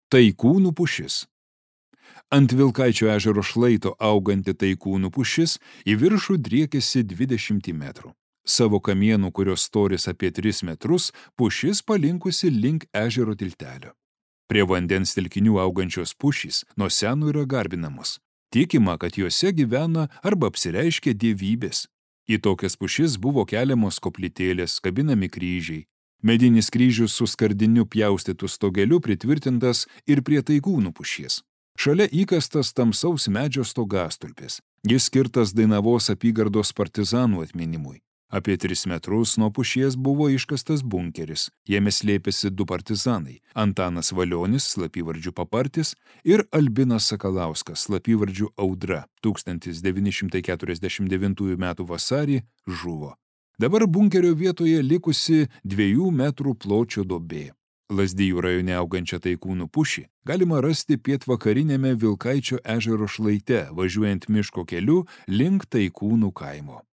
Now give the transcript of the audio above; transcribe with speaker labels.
Speaker 1: Taikūnų pušis. Ant Vilkaičio ežero šlaito auganti taikūnų pušis į viršų driekėsi 20 metrų. Savo kamienų, kurios storis apie 3 metrus, pušis palinkusi link ežero tiltelio. Prie vandens telkinių augančios pušys nuo senų yra garbinamos. Tikima, kad juose gyvena arba apsireiškia dievybės. Į tokias pušis buvo keliamos koplytėlės, kabinami kryžiai. Medinis kryžius su skardiniu pjaustytu stogeliu pritvirtintas ir prie taikūnų pušies. Šalia įkastas tamsaus medžio stogastulpis. Jis skirtas Dainavos apygardos partizanų atminimui. Apie 3 metrus nuo pušies buvo iškastas bunkeris. Jame slėpėsi 2 partizanai – Antanas Valionis, slapyvardžiu Papartis, ir Albinas Sakalauskas, slapyvardžiu Audra, 1949 m. vasarį žuvo. Dabar bunkerio vietoje likusi 2 metrų pločio duobė. Lazdijų rajone augančią taikūnų pušį galima rasti pietvakarinėme Vilkaičio ežero šlaite, važiuojant miško keliu link Taikūnų kaimo.